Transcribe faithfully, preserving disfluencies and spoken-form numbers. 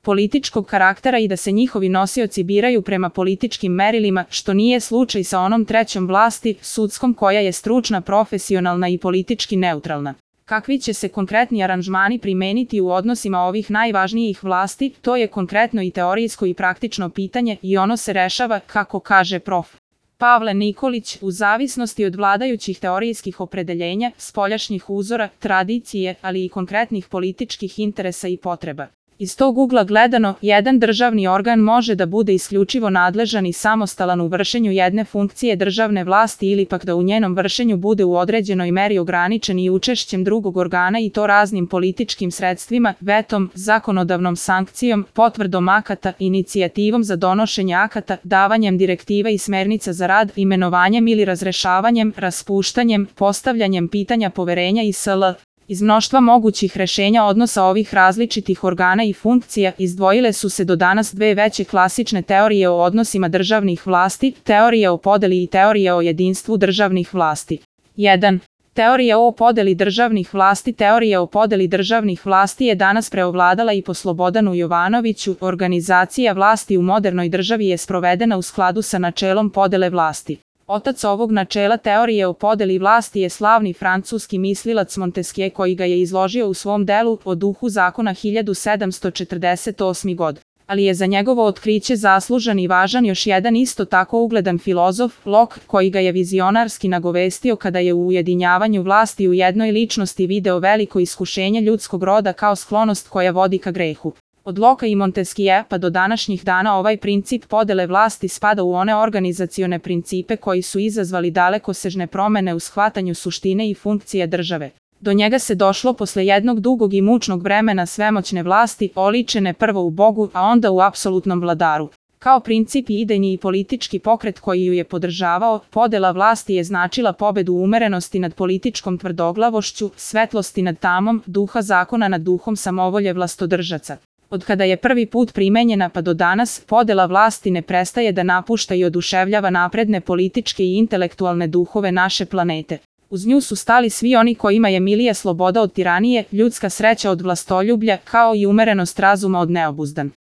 političkog karaktera i da se njihovi nosioci biraju prema političkim merilima, što nije slučaj sa onom trećom vlasti, sudskom, koja je stručna, profesionalna i politički neutralna. Kakvi će se konkretni aranžmani primeniti u odnosima ovih najvažnijih vlasti, to je konkretno i teorijsko i praktično pitanje i ono se rešava, kako kaže prof. Pavle Nikolić, u zavisnosti od vladajućih teorijskih opredeljenja, spoljašnjih uzora, tradicije, ali i konkretnih političkih interesa i potreba. Iz tog ugla gledano, jedan državni organ može da bude isključivo nadležan i samostalan u vršenju jedne funkcije državne vlasti ili pak da u njenom vršenju bude u određenoj meri ograničen i učešćem drugog organa i to raznim političkim sredstvima, vetom, zakonodavnom sankcijom, potvrdom akata, inicijativom za donošenje akata, davanjem direktiva i smernica za rad, imenovanjem ili razrešavanjem, raspuštanjem, postavljanjem pitanja poverenja i sl. Iz mnoštva mogućih rešenja odnosa ovih različitih organa i funkcija izdvojile su se do danas dve veće klasične teorije o odnosima državnih vlasti, teorija o podeli i teorija o jedinstvu državnih vlasti. jedan. Teorija o podeli državnih vlasti Teorija o podeli državnih vlasti je danas preovladala i po Slobodanu Jovanoviću. Organizacija vlasti u modernoj državi je sprovedena u skladu sa načelom podele vlasti. Otac ovog načela teorije o podeli vlasti je slavni francuski mislilac Montesquieu, koji ga je izložio u svom delu O duhu zakona hiljadu sedamsto četrdeset osme. godine. Ali je za njegovo otkriće zaslužan i važan još jedan isto tako ugledan filozof, Locke, koji ga je vizionarski nagovestio kada je u ujedinjavanju vlasti u jednoj ličnosti video veliko iskušenje ljudskog roda kao sklonost koja vodi ka grehu. Od Locke i Montesquieu pa do današnjih dana ovaj princip podele vlasti spada u one organizacione principe koji su izazvali dalekosežne promene u shvatanju suštine i funkcije države. Do njega se došlo posle jednog dugog i mučnog vremena svemoćne vlasti, oličene prvo u Bogu, a onda u apsolutnom vladaru. Kao princip i idejni i politički pokret koji ju je podržavao, podela vlasti je značila pobedu umerenosti nad političkom tvrdoglavošću, svetlosti nad tamom, duha zakona nad duhom samovolje vlastodržaca. Od kada je prvi put primenjena pa do danas, podela vlasti ne prestaje da napušta i oduševljava napredne političke i intelektualne duhove naše planete. Uz nju su stali svi oni kojima je milija sloboda od tiranije, ljudska sreća od vlastoljublja, kao i umerenost razuma od neobuzdan.